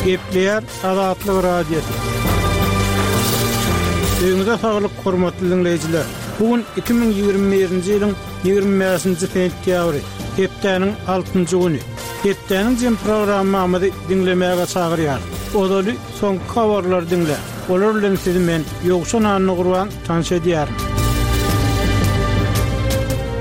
Gepleýär Azatlyk Radiosy. Öýüňize saglyk, hormatly diňleýjiler! Bu gün 2021-nji ýylyň 25-nji sentýabry, hepdäniň altynjy güni. Hepdäniň jem programmamyzy diňlemäge çagyrýarys. Ozaly soňky habarlary diňläň. Olar bilen sizi men, Ýowşan Annagurban, tanyş edýärin.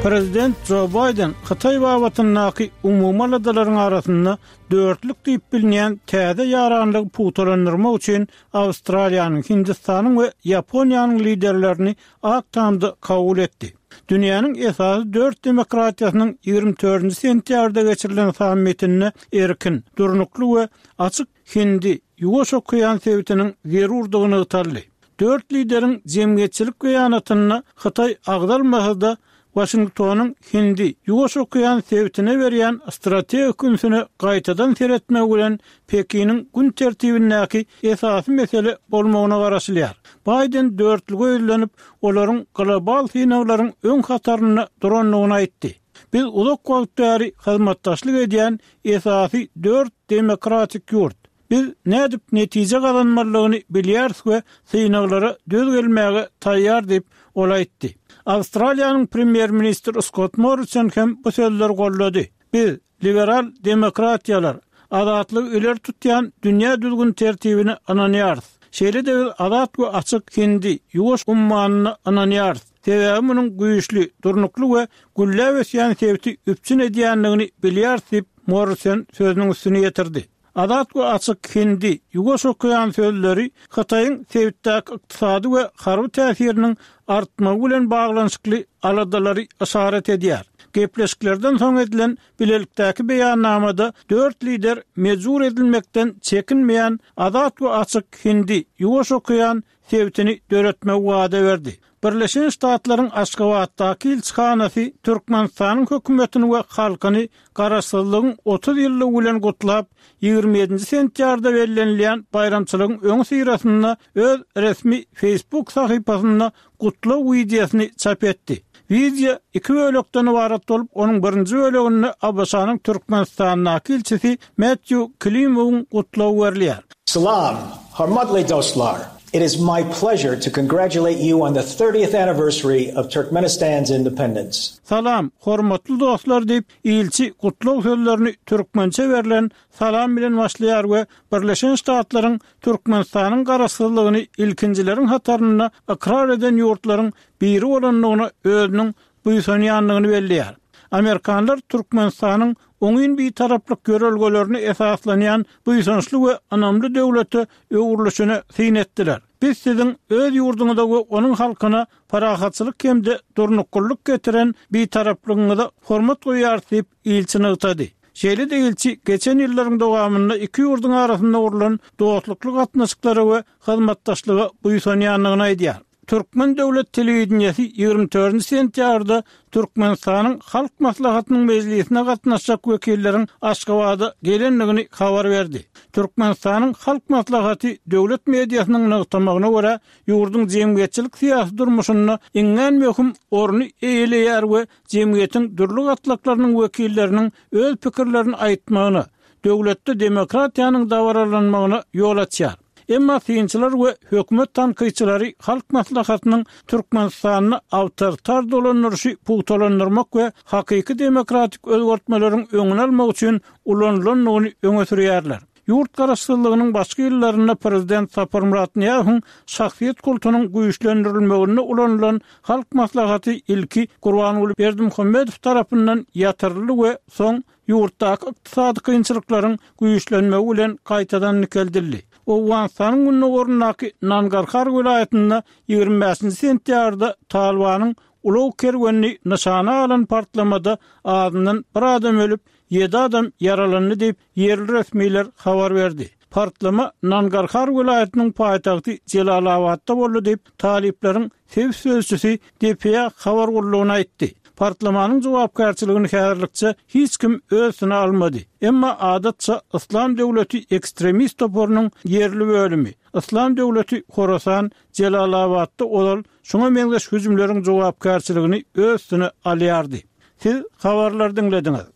Prezident Jo Baýden Hytaý babatyndaky umumy aladalaryň arasynda dörtlük diýip bilinýän täze ýaranlygy pugtalandyrmak üçin Awstraliýanyň, Hindistanyň we Ýaponiýanyň liderlerini Ak Tamda kabul etdi. Dünýäniň esasy dört demokratiýasynyň 24-nji sentýabrda geçirilen sammitinde erkin, durnukly we açyk Hindi, Ýuwaş okean sebitiniň zerurdygy nygtaldy. Dört lideriň jemgyýetçilik beýanatynda Hytaý agzalmasa-da, Waşingtonyň Hindi, Ýuwaş okean sebitine berýän strategik ünsüne gaýtadan seretmegi bilen Pekiniň gün tertibindäki esasy mesele bolmagyna garaşylýar. Baýden dörtlüge ýüzlenip, olaryň global synaglaryň öň hatarynda durandygyny aýtdy. Biz uzak wagt bäri hyzmatdaşlyk edýän esasy dört demokratik ýurt. Biz nädip netije gazanmalydygyny bilýäris we synaglara döz gelmäge taýýar diýip, ol aýtdy. Awstraliýanyň premýer-ministri Skott Morrison hem bu sözleri goldady. Biz, liberal demokratiýalar, azatlygy ileri tutýan dünýä düzgün-tertibine ynanýarys. Şeýle-de biz azat we açyk Hindi, Ýuwaş ummanyna ynanýarys. Sebäbi munuň güýçli, durnukly we gülläp ösýän sebiti üpjün edýändigini bilýäris diýip, Morrison sözüniň üstüni ýetirdi. Azat we açyk Hindi, Ýuwaş okean sözleri Hytaýyň sebitdäki ykdysady we harby täsiriniň artmagy bilen baglanyşykly aladalary yşarat edýär. Gepleşiklerden soň edilen bilelikdäki beýannamada dört lider mejbur edilmekden çekinmeýän azat we açyk Hindi, Ýuwaş okean sebitini döretmegi wada berdi. Birleşen Ştatlaryň Aşgabatdaky ilçihanasy Türkmenistanyň hökümetini we halkyny Garaşsyzlygyň 30 ýyllygy bilen gutlap, 27-nji sentýabrda bellenilýän baýramçylygyň öňüsyrasynda öz resmi Facebook sahypasynda gutlag wideosyny çap etdi. Wideo iki bölekden ybarat bolup, onuň birinji böleginde ABŞ-nyň Türkmenistandaky ilçisi Mätýu Klimowyň gutlagy berilýär. Salam, hormatly dostlar! It is my pleasure to congratulate you on the thirtieth anniversary of Turkmenistan's independence. Salam, hormatly dostlar diýip, ilçi gutlag sözlerini türkmençe berlen salam bilen başlaýar we Birleşen Ştatlaryň Türkmenistanyň garaşsyzlygyny ilkinjileriň hatarynda ykrar eden ýurtlaryň biri bolandygyna özüniň buýsanýandygyny belleýär. Amerikanlar Türkmenistanyň oňyn bitaraplyk ýörelgelerine esaslanýan buýsançly we ynamly döwlete öwrülişine syn etdiler. Biz siziň öz ýurduňyza we onuň halkyna parahatçylyk hem-de durnuklylyk getiren bitaraplygyňyza hormat goýýarys diýip, ilçi nygtady. Şeýle-de ilçi geçen ýyllaryň dowamynda iki ýurduň arasynda gurlan dostlukly gatnaşyklara we hyzmatdaşlyga buýsanýandygyny aýdýar. Türkmen döwlet telewideniýesi 24 sentýabrda Türkmenistanyň Halk Maslahatynyň mejlisine gatnaşjak wekilleriň Aşgabada gelendigini habar berdi. Türkmenistanyň Halk Maslahaty döwlet mediasynyň nygtamagyna görä, ýurduň jemgyýetçilik-syýasy durmuşynda iňňän möhüm orny eýeleýär we jemgyýetiň dürli gatlaklarynyň wekilleriniň öz pikirlerini aýtmagyna, döwletde demokratiýanyň dabaralanmagyna ýol açýar. Emma synçylar we hökümet tankytçylary Halk Maslahatynyň Türkmenistanda awtoritar dolandyryşy pugtalandyrmak we hakyky demokratik özgertmeleriň öňüni almak üçin ulanylandygyny öňe sürýärler. Ýurt garaşsyzlygynyň başky ýyllarynda prezident Saparmyrat Nyýazowyň şahsyýet kultunyň güýçlendirilmeginde ulanylan Halk Maslahaty ilki Gurbanguly Berdimuhamedow tarapyndan ýatyryldy we soň ýurtdaky ykdysady kynçylyklaryň güýçlenmegi bilen gaýtadan dikeldildi. Owganystanyň gündogaryndaky Nangarhar welaýatynda 25-nji sentýabrda Talybanyň ulag kerwenini nyşana alan partlamada azyndan bir adam ölüp, ýedi adam ýaralandy diýip, ýerli resmiler habar berdi. Partlama Nangarhar welaýatynyň paýtagty Jelalabatda boldy diýip, talyplaryň sebit sözçüsi dpa habar gullugyna aýtdy. Partlamanyň jogapkärçiligini häzirlikçe hiç kim öz üstüne almady. Emma adatça Yslam döwleti ekstremist toparynyň ýerli bölümi, Yslam döwleti Horasan Jelalabatda ozal şuňa meňzeş hüjümleriň jogapkärçiligini öz üstüne alýardy. Siz habarlary diňlediňiz.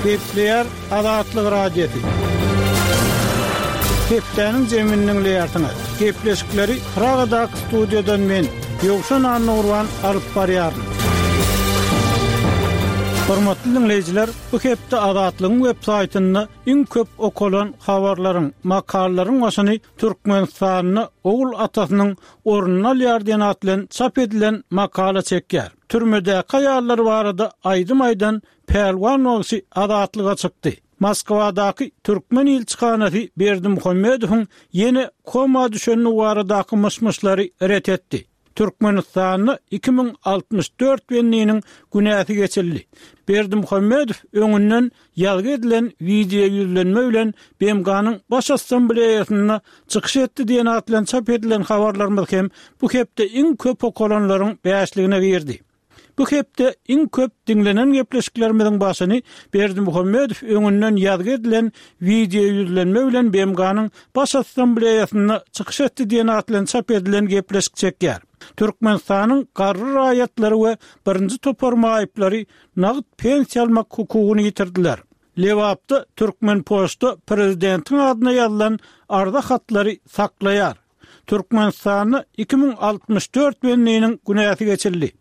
Gepleýär Azatlyk Radiosy. Hepdäniň jemini diňleýärsiňiz. Gepleşikleri Pragadaky studiýadan men, Ýowşan Annagurban alyp barýaryn. Hormatly diňleýjiler, bu hepde Azatlygyň web saýtynda iň köp okalan habarlaryň, makalalaryň başyny Türkmenistanda ogul atasynyň ornuny alýar diýen at bilen çap edilen makala çekýär. Türmedäki aýallar barada aýdym aýdan Pälwan bagşy azatlyga çykdy. Moskwadaky türkmen ilçihanasy Berdimuhamedowyň ýene koma düşendigi baradaky myş-myşlary ret etdi. Türkmenistanda 2064 bendiniň günäsi geçildi. Berdimuhamedow öňünden ýazgy edilen wideoýüzlenme bilen BMG-niň Baş Assambleýasynda çykyş etdi diýen at bilen çap edilen habarlarymyz hem bu hepde iň köp okalanlaryň bäşligine girdi. Bu hepde iň köp diňlenen gepleşiklerimiziň başyny Berdimuhamedow öňünden ýazgy edilen wideoýüzlenme bilen BMG-niň Baş Assambleýasynda çykyş etdi diýen at bilen çap edilen gepleşik çekýär. Türkmenistanyň garry raýatlary we birinji topar maýyplary nagt pensiýa almak hukugyny ýitirdiler. Lebapda Türkmenpoçta prezidentiň adyna ýazylan arza hatlary saklaýar. Türkmenistanda 2064 bendiniň günäsi geçildi.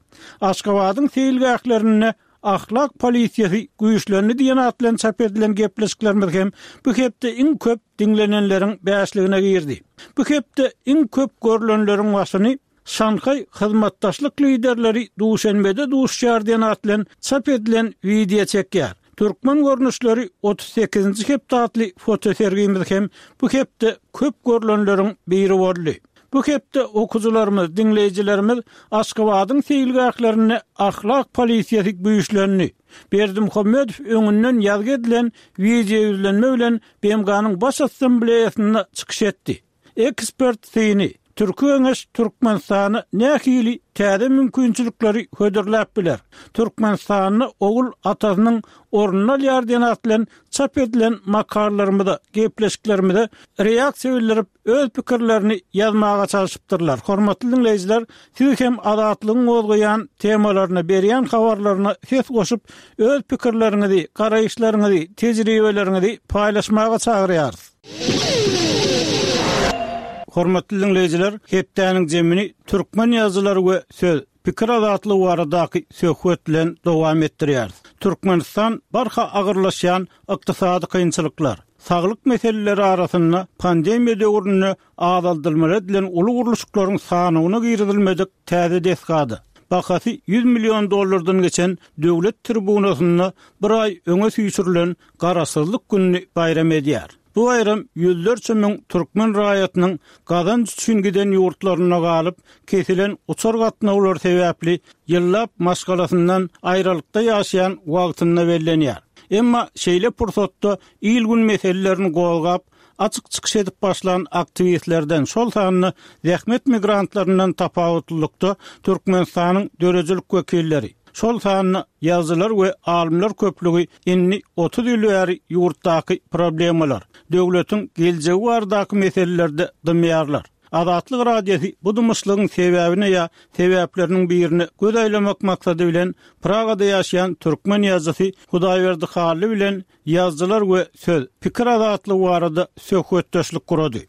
Aşgabadyň seýilgählerinde ahlak polisiýasy güýçlendi diýen at bilen çap edilen gepleşiklerimiz hem bu hepde iň köp diňlenenleriň bäşligine girdi. Bu hepde iň köp görlenleriň başyny Şanhaý hyzmatdaşlyk liderleri Duşenbede duşuşar diýen at bilen çap edilen wideo çekýär. Türkmen görnüşleri 38-nji hepde atly fotosergimiz hem bu hepde köp görlenleriň biri boldy. Bu hepde okyjylarymyz, diňleýjilerimiz Aşgabadyň seýilgählerinde ahlak polisiýasy güýçlendi. Berdimuhamedow öňünden ýazgy edilen wideoýüzlenme bilen BMG-niň Baş Assambleýasynda çykyş etdi. Ekspert syny, Türki Geňeş Türkmenistana nähili täze mümkinçilikleri hödürläp biler? Türkmenistanda ogul atasynyň ornuny alýar diýen at bilen çap edilen makalalarymyza, gepleşiklerimize reaksiýa bildirip, öz pikirlerini ýazmaga çalşypdyrlar. Hormatly diňleýjiler, siz hem Azatlygyň gozgaýan temalaryna, berýän habarlaryna ses goşup, öz pikirleriňizi, garaýyşlaryňyzy, tejribeleriňizi paýlaşmaga çagyrýarys. Hormatly diňleýjiler, hepdäniň jemini türkmen ýazyjylary we söz, pikir azatlygy baradaky söhbet bilen dowam etdirýäris. Türkmenistan barha agyrlaşýan ykdysady kynçylyklar, saglyk meseleleri arasynda pandemiýa döwründe azaldylmaly edilen uly gurluşyklaryň sanawyna girizilmedik täze desgada, bahasy 100 million dollardan geçen döwlet tribunasynda bir aý öňe süýşürilen Garaşsyzlyk gününi baýram edýär. Bu baýram ýüzlerçe müň türkmen raýatynyň gazanç üçin giden ýurtlarynda galyp, kesilen uçar gatnawlary sebäpli ýyllap maşgalasyndan aýralykda ýaşaýan wagtynda bellenýär. Emma şeýle pursatda il-gün meselelerini gozgap, açyk çykyş edip başlan aktiwistlerden, şol sanda zähmet migrantlaryndan tapawutlylykda Türkmenistanyň döredijilik wekilleri, şol sanda ýazyjylar we alymlar köplügi indi 30 ýyl bäri ýurtdaky problemalar, döwletiň geljegi baradaky meselelerde dymýarlar. Azatlyk Radiosy bu dymyşlygyň sebäbine ýa sebäpleriniň birine göz aýlamak maksady bilen Pragada ýaşaýan türkmen ýazyjysy Hudaýberdi Hally bilen Ýazyjylar we söz, pikir azatlygy barada söhbetdeşlik gurady.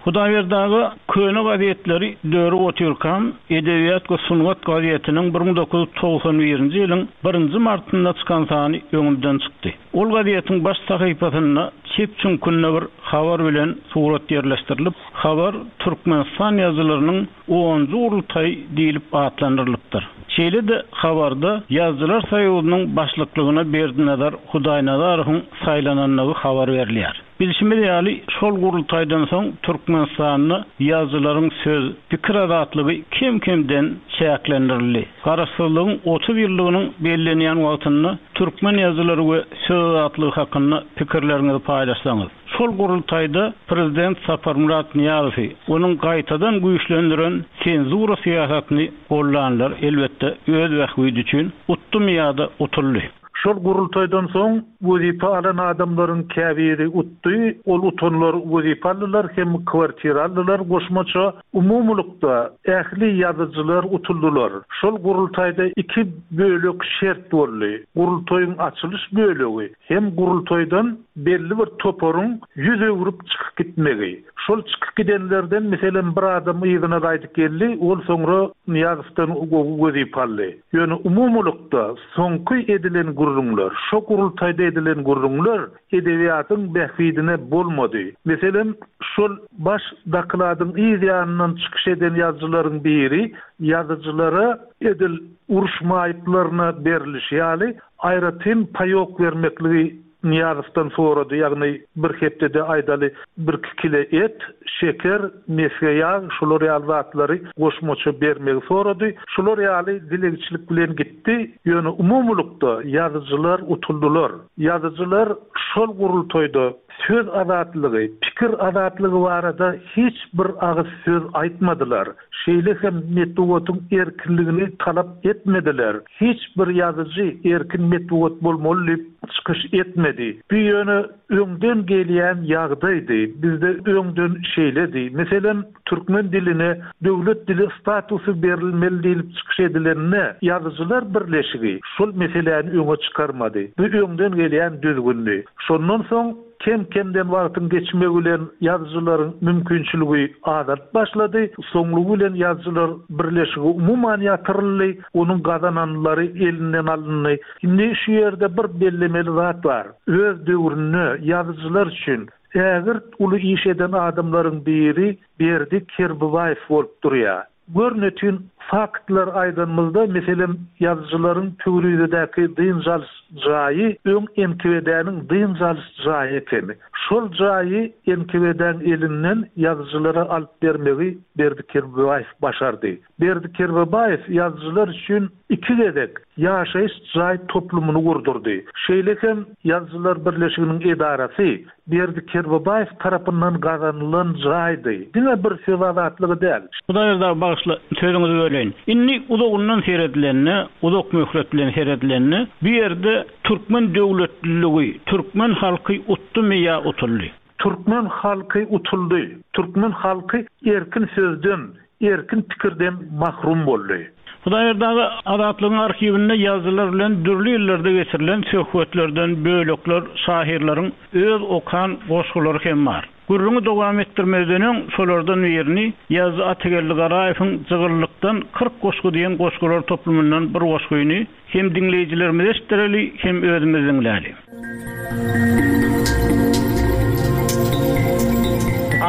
Hudaýberdi aga köne gazetleri dörüp otyrkam, Edebiýat we sungat gazetiniň 1991-nji ýylyň birinji martynda çykan sany öňümden çykdy. Ol gazetiň baş sahypasynda çep çüňkünde bir habar bilen surat ýerleşdirilip, habar Türkmenistan ýazyjylarynyň Onunjy gurultaý diýlip atlandyrylypdyr. Şeýle-de habarda Ýazyjylar soýuzynyň başlyklygyna Berdinazar Hudaýnazarowyň saýlanandygy habar berilýär. Bilşimiz ýaly, şol gurultaýdan soň Türkmenistanda ýazyjylaryň söz, pikir azatlygy kem-kemden çäklendirildi. Garaşsyzlygyň 30 ýyllygynyň bellenýän wagtynda türkmen ýazyjylary we söz azatlygy hakynda pikirleriňizi paýlaşsaňyz. Şol gurultaýda prezident Saparmyrat Nyýazowy, onuň gaýtadan güýçlendiren senzura syýasatyny gollanlar, elbetde, öz bähbidi üçin utdumy ýa-da utuldy. Şol gurultaýdan soň wezipe alan adamlaryň käbiri utdy, ol utanlar wezipe aldylar hem kwartira aldylar goşmaça. Umumylykda ähli ýazyjylar utuldylar. Şol gurultaýda iki bölek şert boldy. Gurultaýyň açylyş bölegi hem gurultaýdan belli bir toparyň ýüz öwrüp çykyp gitmegi. Şol çykyp gidenlerden, meselem, bir adam yzyna gaýdyp geldi, ol soňra Nyýazowdan gowy wezipe aldy. Ýöne umumylykda soňky edilen gürrüňler, şo gurultaýda edilen gürrüňler edebiýatyň bähbidine bolmady. Meselem, şol baş dokladyň yz ýanyndan çykyş eden ýazyjylaryň biri ýazyjylara edil uruş maýyplaryna berilişi ýaly aýratyn paýok bermekligi Nyýazowdan sorady, ýagny bir hepdede aýdaly birki kile et, şeker, mesge ýag, şular ýaly zatlary goşmaça bermegi sorady. Şular ýaly dilegçilik bilen gitdi. Ýöne umumylykda ýazyjylar utuldylar. Ýazyjylar şol gurultaýda söz azatlygy, pikir azatlygy barada hiç bir agyz söz aýtmadylar. Şeýle hem metbugatyň erkinligini talap etmediler. Hiç bir ýazyjy erkin metbugat bolmaly diýip çykyş etmedi. Bu ýöne öňden gelýän ýagdaýdy. Bizde öňden şeýledi. Meselem, türkmen diline döwlet dili statusy berilmeli diýlip çykyş edilende, Ýazyjylar birleşigi şol meseläni öňe çykarmady. Bu öňden gelýän düzgündi. Şondan soň Kem-kemden wagtyň geçmegi bilen ýazyjylaryň mümkinçiligi azalyp başlady. Soňlugy bilen ýazyjylar birleşigi umuman ýatyryldy, onuň gazananlary elinden alyndy. Indi şu ýerde bir bellemeli zat bar. Öz döwründe ýazyjylar üçin ägirt uly iş eden adamlaryň biri Berdi Kerbabaýew bolup durýar. Görnetin faktlar aýdanymyzda, meselem, ýazyjylaryň Pöwrizedäki dynç alyş jaýy öň NKWD-niň dynç alyş jaýy ekeni. Şol jaýy NKWD-niň elinden ýazyjylara alyp bermegi Berdi Kerbabaýew başardy. Berdi Kerbabaýew ýazyjylar üçin iki gezek ýaşaýyş jaý toplumyny gurdurdy. Şeýle hem Ýazyjylar birleşiginiň edarasy Berdi Kerbabaýew tarapyndan gazanylan jaýdy. Diňe bir söz azatlygy däl. Hudaýberdi aga bagyşla sözüňizi böleýin. Indi uzagyndan seredilende, uzak möhlet bilen seredilende bu ýerde türkmen döwletliligi, türkmen halky utdumy ýa utuldy? Türkmen halky utuldy. Türkmen halky erkin sözden, erkin pikirden mahrum boldy. Hudaýberdi aga Azatlygyň arhiwinde ýazyjylar bilen dürli ýyllarda geçirilen söhbetlerden bölekler, şahyrlaryň öz okan goşgulary hem bar. Gürrüňi dowam etdirmezden öň şolardan birini, ýazyjy Atageldi Garaýewiň Jygyllykdan 40 goşgy diýen goşgular toplumyndan bir goşgyny Hem diňleýjilerimize eşitdireli, hem özümiz diňläli.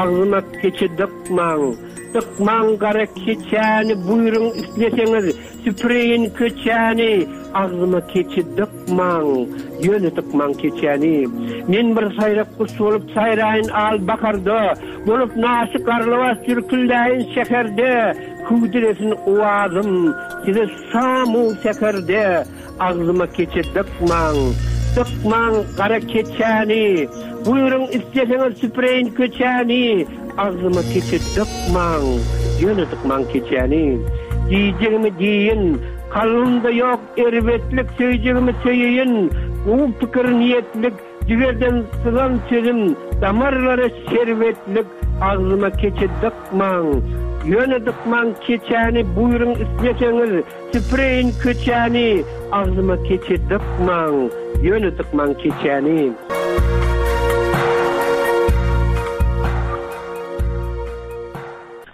Agzyma keçe dykmaň, dykmaň gara keçäni buýruň isleseňiz süpüreýin köçäni agzyma keçe dykmaň, ýöne dykmaň keçäni. Men bir saýrak guş bolup saýraýyn al baharda, bolup naşy garlawaç jürküldäýin şäherde, hüwdülesin owazym size Şam-u säherde agzyma keçe dykmaň, Dykmaň gara keçäni. Buýruň isleseňiz süpüreýin köçäni, Agzyma keçe dykmaň, ýöne dykmaň keçäni. Diýjegimi diýin, kalbymda ýok erbetlik, Söýjegimi söýeýin, gowy pikir niýetlik. Jigerden syzan sözüm damarlara şerbetlik agzyma keçe dykmaň, ýöne dykmaň keçäni buýruň isleseňiz süpüreýin köçäni agzyma keçe dykmaň, ýöne dykmaň keçäni.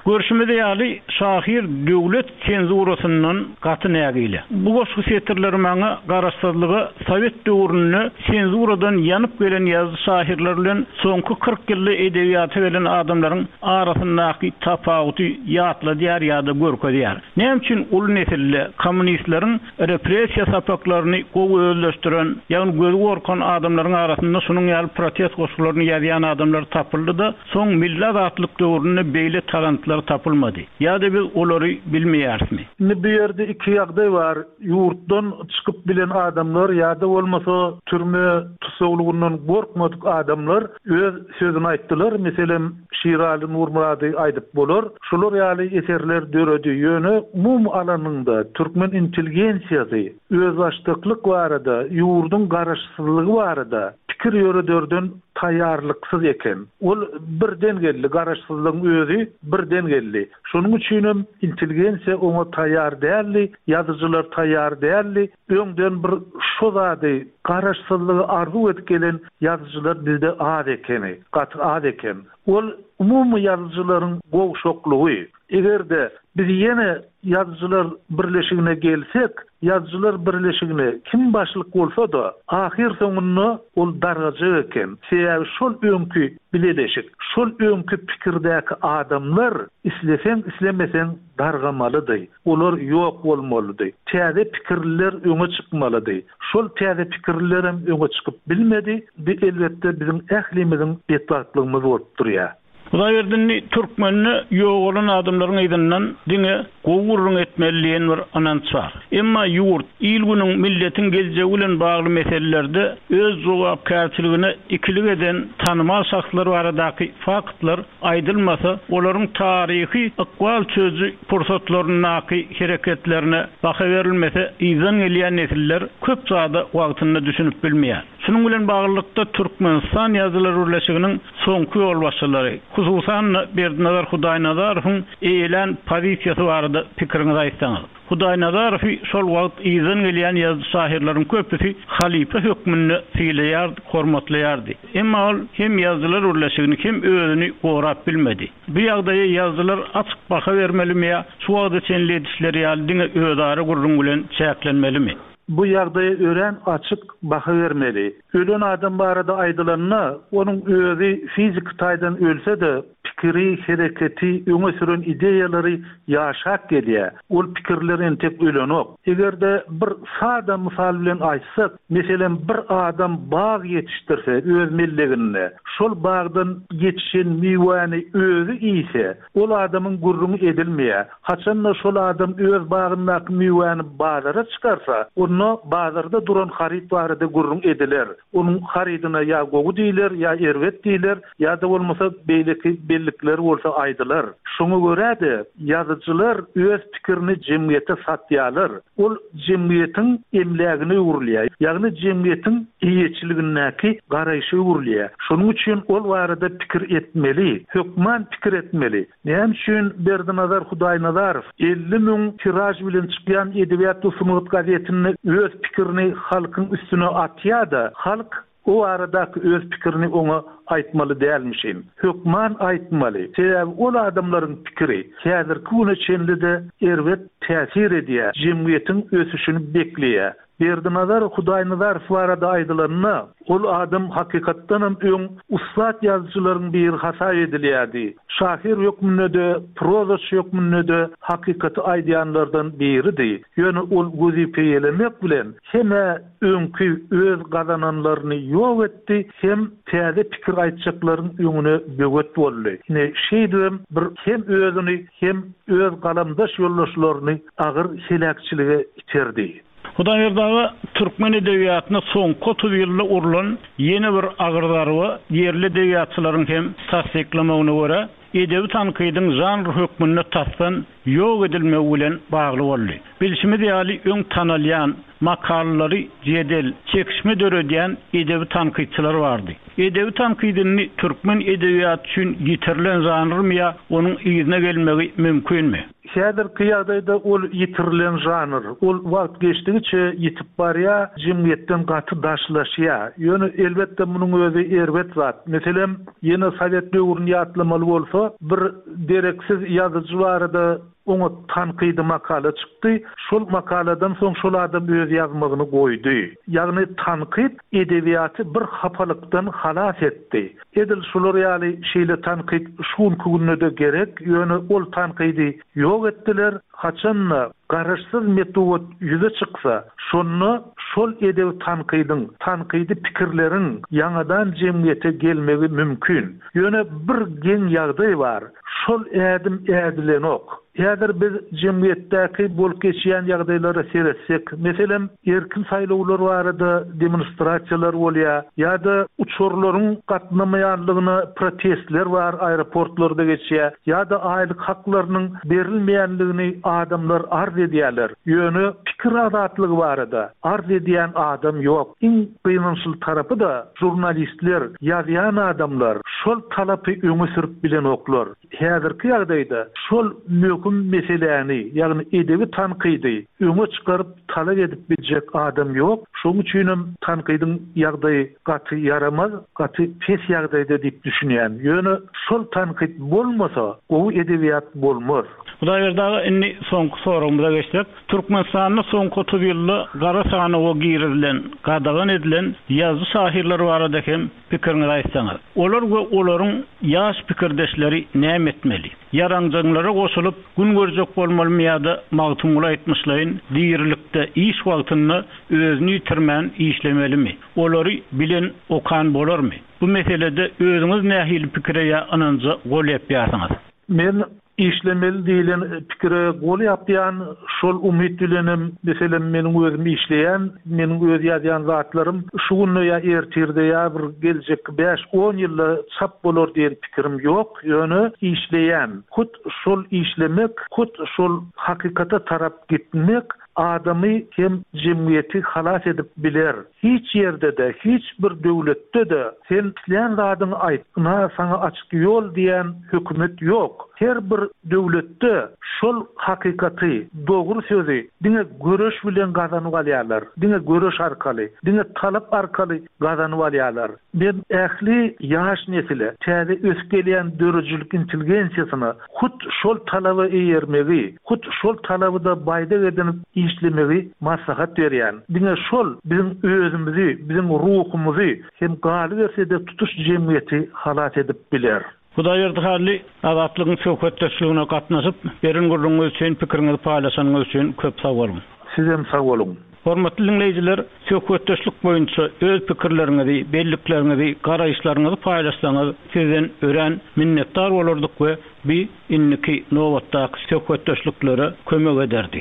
Görşümiz ýaly, şahyr döwlet senzurasyndan gaty nägile. Bu goşgy setirleri maňa garaşsyzlyga sowet döwründe senzuradan ýanyp gelen ýazyjy-şahyrlar bilen soňky 40 ýylda edebiýata gelen adamlaryň arasyndaky tapawudy ýatladýar ýa-da görkezýär. Näme üçin uly nesilde kommunistleriň repressiýa sapaklaryny gowy özleşdiren, ýagny gözi gorkan adamlaryň arasynda şunuň ýaly protest goşgularyny ýazýan adamlar tapyldy-da, Soň milli azatlyk döwründe beýle talantlar tapylmady? Ýa-da biz olary bilmeýärismi? Indi bu ýerde iki ýagdaý bar, ýurtdan çykyp bilen adamlar ýa-da bolmasa türme tussaglygyndan gorkmadyk adamlar öz sözüni aýtdylar, meselem, Şiraly Nurmyrady aýdyp bolar. Şular ýaly eserler döredi. Ýöne umumy alanyňda türkmen intelligensiýasy özbaşdaklyk barada, ýurduň garaşsyzlygy barada pikir ýörederden taýýarlyksyz eken. Ol birden geldi, garaşsyzlygyň özi birden geldi. Şonuň üçinem intelligensiýa oňa taýýar däldi, ýazyjylar taýýar däldi. Öňden bir şo zady, garaşsyzlygy arzuw edip gelen ýazyjylar bizde az ekeni, gaty az eken. Ol umumy ýazyjylaryň gowşaklygy. Eger-de biz ýene Ýazyjylar birleşigine gelsek, Ýazyjylar birleşigine kim başlyk bolsa-da, ahyrsoňunda ol dargajak eken. Sebäbi şol öňki bileleşik, şol öňki pikirdäki adamlar isleseň-islemeseň dargamalydy. Olar ýok bolmalydy. Täze pikirliler öňe çykmalydy. Şol täze pikirlilerem öňe çykyp bilmedi. Bu elbetde biziň ählimiziň betbagtlygymyz bolup durýar. Hudaýberdi indi türkmende ýogalan adamlaryň yzyndan diňe gowy gürrüň etmeli diýen bir ynanç bar. Emma ýurt, il-günüň, milletiň geljegi bilen bagly meselelerde öz jogapkärçiligine ikilik eden tanymal şahslar baradaky faktlar aýdylmasa, olaryň taryhy ykbal çözüji pursatlaryndaky hereketlerine baha berilmese, yzdan gelýän nesiller köp zada wagtynda düşünip bilmeýär. Şunuň bilen baglylykda, Türkmenistan Ýazyjylar birleşiginiň soňky ýolbaşçylary, hususan-da, Berdinazar Hudaýnazarowyň eýelän pozisiýasy barada pikiriňizi aýtsaňyz. Hudaýnazarowy şol wagt yzdan gelýän ýazyjy-şahyrlaryň köpüsi halypa hökmünde sylaýardy, hormatlaýardy. Emma ol hem Ýazyjylar birleşigini, hem özüni gorap bilmedi. Bu ýagdaýa ýazyjylar açyk baha bermelimi ýa şu wagta çenli edişleri ýaly diňe özara gürrüň bilen çäklenmelimi? Bu ýagdaýa örän açyk baha bermeli. Ölen adam barada aýdylanda, onuň özi fiziki taýdan ölse-de, pikiri, hereketi, öňe süren ideýalary ýaşap gelýär. Ol pikirler entek ölenok. Eger-de bir sada mysal bilen aýtsak, meselem, bir adam bag ýetişdirse öz melleginde, şol bagdan ýetişen miwäni özi iýse, ol adamyň gürrüňi edilmeýär. Haçan-da şol adam öz bagyndaky miwäni bazara çykarsa, onda bazarda duran haryt barada gürrüň ediler. Onuň harydyna ýa gowy diýler, ýa erbet diýler, ýa-da bolmasa beýleki bellikler bolsa aýdylar. Şoňa görä-de, ýazyjylar öz pikirini jemgyýete satýarlar. Ol jemgyýetiň emlägine öwrülýär, ýagny jemgyýetiň eýeçiligindäki garaýşa öwrülýär. Şonuň üçin ol barada pikir etmeli, hökman pikir etmeli. Näme üçin Berdinazar Hudaýnazarow 50 müň tiraž bilen çykýan Edebiýat we sungat gazetinde öz pikirini halkyň üstüne atýa-da, halk o baradaky öz pikirini oňa aýtmaly dälmişin? Hökman aýtmaly. Sebäbi ol adamlaryň pikiri häzirki güne çenli-de erbet täsir edýär, jemgyýetiň ösüşini bekleýär. Berdinazar Hudaýnazarow barada aýdylanda, ol adam hakykatdanam öň ussat ýazyjylaryň biri hasap edilýärdi. Şahyr hökmünde-de, prozaçy hökmünde-de hakykaty aýdýanlardan biridi. Ýöne ol wezipe eýelemek bilen hem-ä öňki öz gazananlaryny ýok etdi, hem täze pikir aýtjaklaryň öňüne böwet boldy. Ine, şeýdibem bir hem özüni, hem öz galamdaş ýoldaşlaryny agyr heläkçilige iterdi. Hudaýberdi aga, türkmen edebiýatyna soňky 30 ýylda urlan ýene bir agyr zarba, ýerli edebiýatçylaryň hem tassyklamagyna görä, edebi tankydyň žanr hökmünde tasdan ýok edilmegi bilen bagly boldy. Bilşimiz ýaly, öň tanalýan, makalalary jedel, çekişme döredýän edebi tankytçylar bardy. Edebi tankyt indi türkmen edebiýaty üçin ýitirilen žanrmy ýa onuň yzyna gelmegi mümkinmi? Häzirki ýagdaýda ol ýitirilen žanr. Ol wagt geçdigiçe ýitip barýar, jemgyýetden gaty daşlaşýar. Ýöne, elbetde, munuň özi erbet zat. Meselem, ýene sowet döwrüni ýatlamaly bolsa, bir dereksiz ýazyjy barada. Oňa tankydy makala çykdy. Şol makaladan soň şol adam öz ýazmagyny goýdy. Ýagny tankyt edebiýaty bir hapalykdan halas etdi. Edil şular ýaly şeýle tankyt şu günki günde-de gerek, ýöne ol tankydy ýok etdiler. Haçan-da garaşsyz metbugat ýüze çyksa, şonda şol edebi tankydyň, tankydy pikirleriň ýaňadan jemgyýete gelmegi mümkin. Ýöne bir geň ýagdaý bar. Şol ädim ädilenok. Häzir biz jemgyýetdäki bolup geçýän ýagdaýlara seretsek, meselem, erkin saýlawlar barada demonstrasiýalar bolýar ýa-da uçarlaryň gatnamaýanlygyna protestler bar aeroportlarda geçýär ýa-da aýlyk haklarynyň berilmeýänligini adamlar arz edýärler. Ýöne pikir azatlygy barada arz edýän adam ýok. Iň gynançly tarapy-da žurnalistler, ýazýan adamlar şol talapy öňe sürüp bilenoklar. Häzirki ýagdaýda şol möhüm meseläni, ýagny edebi tankydy öňe çykaryp talap edip biljek adam ýok. Şonuň üçinem tankydyň ýagdaýy gaty ýaramaz, gaty pes ýagdaýda diýip düşünýän. Ýöne şol tankyt bolmasa, gowy edebiýat bolmaz. Hudaýberdi aga, indi soňky soragymyza geçsek. Türkmenistanda soňky 30 ýylda gara sanawa girizilen, gadagan edilen ýazyjy-şahyrlar barada hem pikiriňizi aýtsaňyz. Olar we olaryň ýaş pikirdeşleri näme etmeli? Ýaranjaňlara goşulyp, gün görjek bolmalymy ýa-da Magtymguly aýtmyşlaýyn, dirilikde, iş wagtynda özüni ýitirmän işlemelimi? Olary bilen, okan bolarmy? Bu meselede özüňiz nähili pikire ýa ynanja gol ýapýarsyňyz? Men Işlemeli diýlen pikire gol ýapýan, şol umyt bilenem, meselem, meniň özüm işleýän, meniň öz ýazýan zatlarym şu günde ýa ertirde ýa bir geljekki bäş-on ýylda çap bolar diýen pikirim ýok, ýöne işleýän. Hut şol işlemek, hut şol hakykata tarap gitmek adamy hem jemgyýeti halas edip biler. Hiç ýerde-de, hiç bir döwletde-de sen islän zadyňy aýt, ynha saňa açyk ýol diýen hökümet ýok. Her bir döwletde şol hakykaty, dogry sözi diňe göreş bilen gazanyp alýarlar. Diňe göreş arkaly, diňe talap arkaly gazanyp alýarlar. Men ähli ýaş nesile, täze ösüp gelýän döredijilik intelligensiýasyna hut şol talaba eýermegi, hut şol talaby-da baýdak edinip işlemegi maslahat berýän. Diňe şol biziň özümizi, biziň ruhumyzy hem galyberse-de tutuş jemgyýeti halas edip biler. Hudaýberdi Hally, Azatlygyň söhbetdeşligine gatnaşyp, beren gürrüňiňiz üçin, pikiriňizi paýlaşanyňyz üçin köp sag boluň! Sizem sag boluň! Hormatly diňleýjiler, söhbetdeşlik boýunça öz pikirleriňizi, bellikleriňizi, garaýyşlaryňyzy paýlaşsaňyz, sizden örän minnetdar bolardyk we bi indiki nobatdaky söhbetdeşliklere kömek ederdi.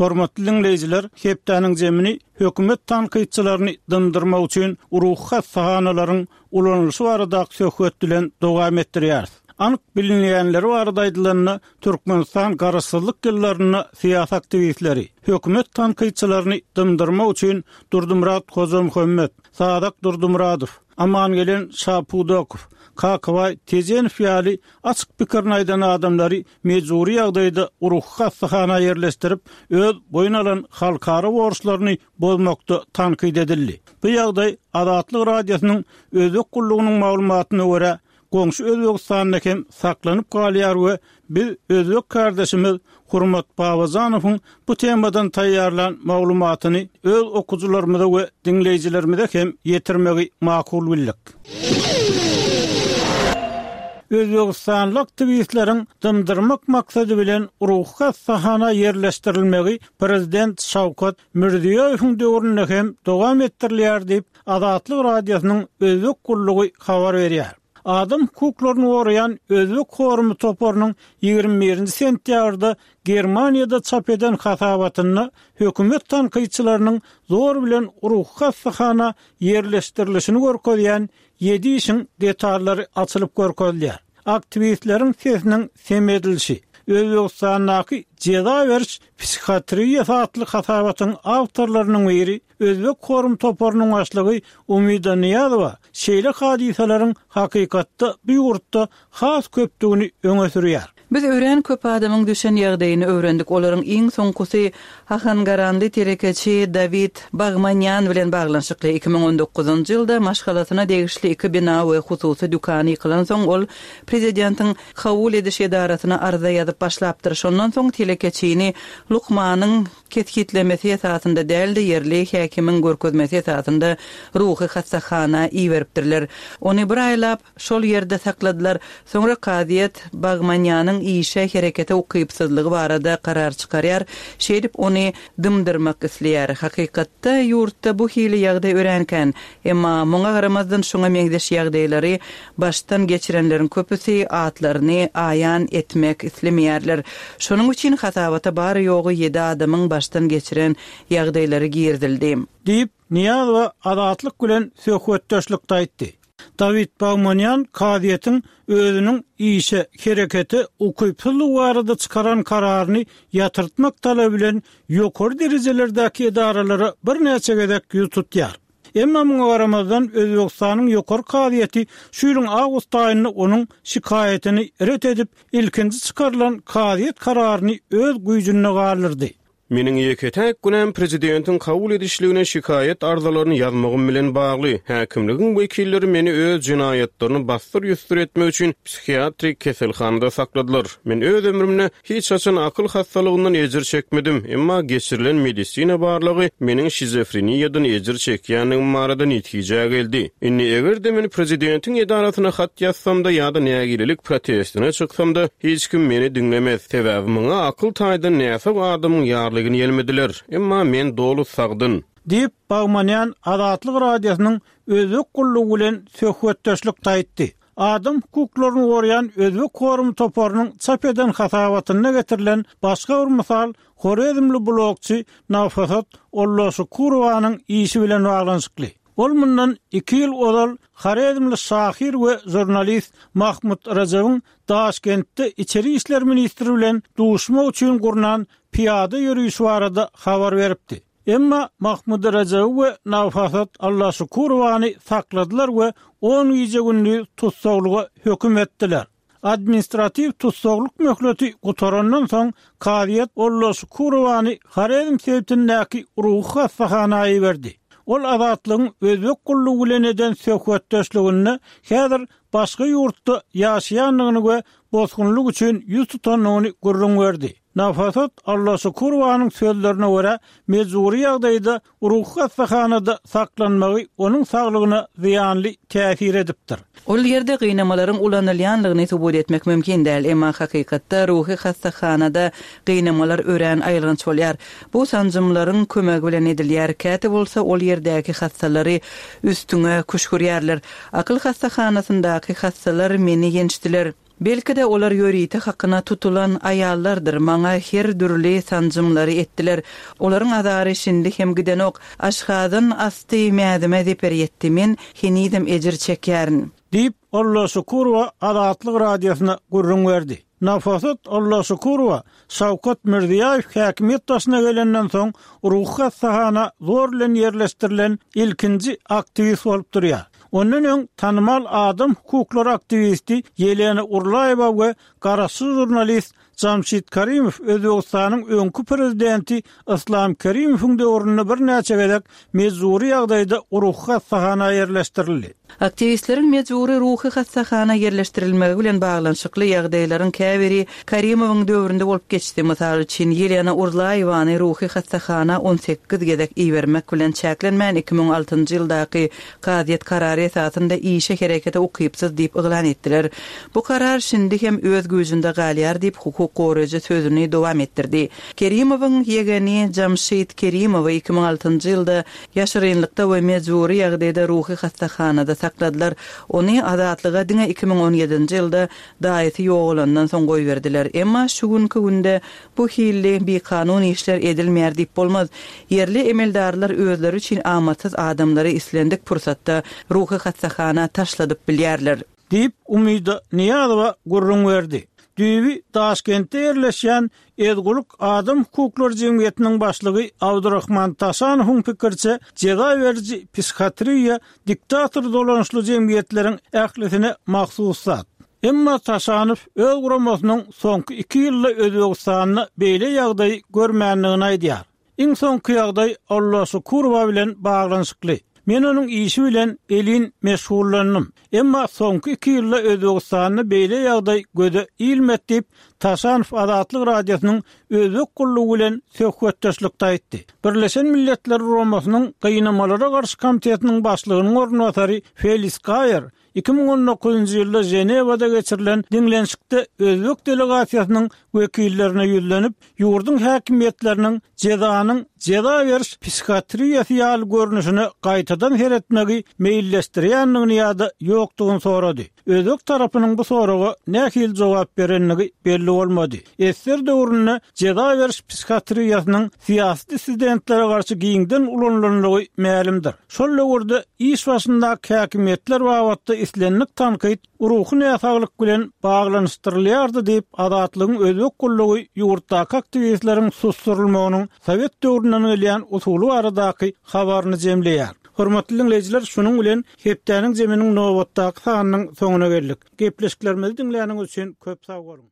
Hormatly diňleýjiler, hepdäniň jemini hökümet tankytçylaryny dymdyrmak üçin ruhy hassahanalaryň ulanylyşy baradaky söhbet bilen dowam etdirýäris. Anyk bilinýänleri barada aýdylanda, Türkmenistan garaşsyzlyk ýyllarynda syýasy aktiwistleri, hökümet tankytçylaryny dymdyrmak üçin Durdymyrat Hojamuhammet, Sazak Durdymyradow, Amangelen Şapudakow, Kakabaý Tejenow ýaly açyk pikirini aýdan adamlary mejbury ýagdaýda ruhy hassahana ýerleşdirip, öz boýun alan halkara borçlaryny bozmakda tankyt edildi. Bu ýagdaý Azatlyk Radiosynyň Özbek gullugynyň maglumatyna görä, goňşy Özbegistanda hem saklanyp galýar we biz özbek kärdeşimiz Hurmat Babajanowyň bu temadan taýýarlan maglumatyny öz okyjylarymyza we diňleýjilerimize hem ýetirmegi makul bildik. Özbegistanly aktiwistleriň dymdyrmak maksady bilen ruhy hassahana ýerleşdirilmegi prezident Şawkat Mirziýoýewiň döwründe hem dowam etdirilýär diýip, Azatlyk Radiosynyň Özbek gullugy habar berýär. Adam hukuklaryny goraýan Özbek forumy toparynyň 21-nji sentýabrda Germaniýada çap eden hasabatynda hökümet tankytçylarynyň zor bilen ruhy hassahana ýerleşdirilişini görkezýän ýedi işiň detallary açylyp görkezilýär. Aktiwistleriň sesiniň sem edilişi, Özbegistandaky jeza beriş psihiatriýasy atly hasabatyň awtorlarynyň biri Özbek forum toparynyň başlygy Umida Nyýazowa şeýle hadysalaryň hakykatda bu ýurtda has köpdügini öňe sürýär. Biz örän köp adamyň düşen ýagdaýyny öwrendik, olaryň iň soňkusy ahangaranly telekeçi Dawid Bagmanýan bilen baglanyşykly. 2019-njy ýylda maşgalasyna degişli iki bina we hususy dükany ýykylansoň, ol prezidentiň kabul ediş edarasyna arza ýazyp başlapdyr. Şondan soň telekeçini lukmanyň kesgitlemesi esasynda däl-de, ýerli häkimiň görkezmesi esasynda ruhy hassahana iberipdirler. Ony bir aýlap şol ýerde sakladylar. Soňra kazyýet Bagmanýanyň işe, herekete ukypsyzlygy barada karar çykarýar, şeýdip ony dymdyrmak isleýär. Hakykatda, ýurtda bu hili ýagdaý örän kän. Emma muňa garamazdan şuňa meňzeş ýagdaýlary başdan geçirenleriň köpüsi atlaryny aýan etmek islemeýärler. Şonuň üçin hasabata bary-ýogy ýedi adamyň başdan geçiren ýagdaýlary girizildi. Diýip, Nyýazowa Azatlyk bilen söhbetdeşlikde aýtdy. Dawid Bagmanýan kazyýetiň özüniň işe, herekete ukypsyzlygy barada çykaran kararyny ýatyrtmak talaby bilen ýokary derejelerdäki edaralara birnäçe gezek ýüz tutýar. Emma muňa garamazdan, Özbegistanyň Ýokary kazyýeti şu ýylyň awgust aýynda onuň şikaýatyny ret edip, ilkinji çykarylan kazyýet kararyny öz güýjünde galdyrdy. Meniň ýeke-täk günäm prezidentiň kabul edişligine şikaýat arzalaryny ýazmagym bilen bagly. Häkimligiň wekilleri meni öz jenaýatlaryny bassyr-ýussur etmek üçin psihiatrik keselhanada sakladylar. Men öz ömrümde Hiç haçan akyl hassalygyndan ejir çekmedim, emma geçirilen medisina barlagy meniň şizofreniýadan ejir çekýändigim barada netijä geldi. Indi eger-de men prezidentiň edarasyna hat ýazsam-da ýa-da nägilelik protestine çyksam-da, hiç kim meni diňlemez, sebäbi muňa akyl taýdan näsag adamyň ýarlygyny ýelmediler, emma men doly sagdyn. Diýip, Bagmanýan Azatlyk Radiosynyň Özbek gullugy bilen söhbetdeşlikde aýtdy. Adam hukuklaryny goraýan Özbek forumy toparynyň çap eden hasabatynda getirilen başga bir mysal horezmli blogçy Nafasat Olloşukurowanyň işi bilen baglanyşykly. Ol mundan iki ýyl ozal horezmli şahyr we žurnalist Mahmut Rajabyň Daşkentde içeri işler ministri bilen duşmak üçin gurnan pyýada ýörişi barada habar beripdi. Emma Mahmud Rejebi we Nafasat Allaşukurowany sakladylar we on gije-gündiz tussaglyga höküm etdiler. Administratiw tussaglyk möhleti gutarandan soň, kazyýet Ollaşukurowany Horezm sebitindäki ruhy hassahana iberdi. Ol Azatlygyň Özbek gullugy bilen eden söhbetdeşliginde häzir başga ýurtda ýaşaýandygyny we bosgunlyk üçin ýüz tutandygyny gürrüň berdi. Nafasat Allaşukurowanyň sözlerine görä, mejbury ýagdaýda ruhy hassahanada saklanmagy onuň saglygyna zyýanly täsir edipdir. Ol ýerde gynamalaryň ulanylýanlygyny subut etmek mümkin däl, emma hakykatda ruhy hassahanada gynamalar örän aýylganç bolýar. Bu sanjymlaryň kömegi bilen edilýär, käte bolsa ol ýerdäki hassalary üstüňe küşgürýärler. Akyl hassahanasyndaky hassalar meni ýençdiler. Belki-de, olar ýörite hakyna tutulan aýallardyr, maňa her dürli sanjymlary etdiler. Olaryň azary şindi hem gidenok. Aşgazan asty mäzime zeper ýetdi, men henizem ejir çekýärin. Diýip, Allaşukurowa Azatlyk Radiosyna gürrüň berdi. Nafasat Allaşukurowa Şawkat Mirziýaýew häkimiýet başyna gelenden soň ruhy hassahana zor bilen ýerleşdirilen ilkinji aktiwist bolup durýar. Ondan öň tanymal adam hukuklary aktiwisti Ýelena Urlaýewa we garaşsyz žurnalist Jamşid Karimow Özbegistanyň öňki prezidenti Yslam Kerimowyň döwründe birnäçe gezek mejbury ýagdaýda ruhy hassahana ýerleşdirildi. Aktiwistleriň mejbury ruhy hassahana ýerleşdirilmegi bilen baglanyşykly ýagdaýlaryň käbiri Karimowyň döwründe bolup geçdi. Mysal üçin, Ýelena Urlaýewany ruhy hassahana 18 gezek ibermek bilen çäklenmän, 2006-njy ýyldaky kazyýet karary esasynda işe herekete ukypsyz diýip yglan etdiler. Bu karar şindi hem öz güýjünde galýar diýip, hukuk goraýjy sözüni dowam etdirdi. Kerimowyň ýegeni Jamşid Kerimowy 2006-njy ýylda Ýaşyrynlykda we mejbury ýagdaýda ruhy hassahanada sakladylar. Ony azatlyga diňe 2017-nji ýylda daýysy ýogalandan soň goýberdiler. Emma şu günki günde bu hilli bikanun işler edilmeýär diýip bolmaz. Ýerli emeldarlar özleri üçin amatsyz adamlary islendik pursatda ruhy hassahana taşladyp bilýärler. Diýip, Umyda Nyýazowa gürrüň berdi. Düýbi Daşkentde ýerleşýän Ezgulyk adam hukuklary jemgyýetiniň başlygy Abdurahman Taşanowyň pikiriçe, jeza beriji psihiatriýa diktator dolanyşly jemgyýetleriň ählisine mahsus zat. Emma Taşanow öz guramasynyň soňky iki ýylda Özbegistanda beýle ýagdaýy görmändigini aýdýar. Iň soňky ýagdaý Alla Şukurowa bilen baglanyşykly. Men onuň işi bilen elin meşgullandym. Emma soňky iki ýylda Özbegistanda beýle ýagdaý göze ilmedi diýip, Taşanow Azatlyk Radiosynyň Özbek gullugy bilen söhbetdeşlikde aýtdy. Birleşen Milletler Guramasynyň Gynamalara garşy komitetiniň başlygynyň orunbasary Felis Gaýer 2019-njy ýylda Ženewada geçirilen diňlenişikde özbek delegasiýasynyň wekillerine ýüzlenip, ýurduň häkimiýetleriniň jezanyň jeza beriş psihiatriýasy ýaly görnüşine gaýtadan seretmegi meýilleşdirýändigini ýa-da ýokdugyny sorady. Özbek tarapynyň bu soraga nähili jogap berendigi belli bolmady. Ssr döwründe jeza beriş psihiatriýasynyň syýasy dissidentlere garşy giňden ulanylandygy mälimdir. Şol döwürde iş başyndaky häkimiýetler babatda islendik tankyt ruhy näsaglyk bilen baglanyşdyrylýardy diýip, Azatlygyň özbek gullugy ýurtdaky aktiwistleriň susdurylmagynyň sowet döwründen gelýän usuly baradaky habaryny jemleýär. Hormatly diňleýjiler, şunuň bilen hepdäniň zeminiň nobatdaky sanynyň soňuna geldik. Gepleşiklerimizi diňläniňiz üçin köp sag boluň!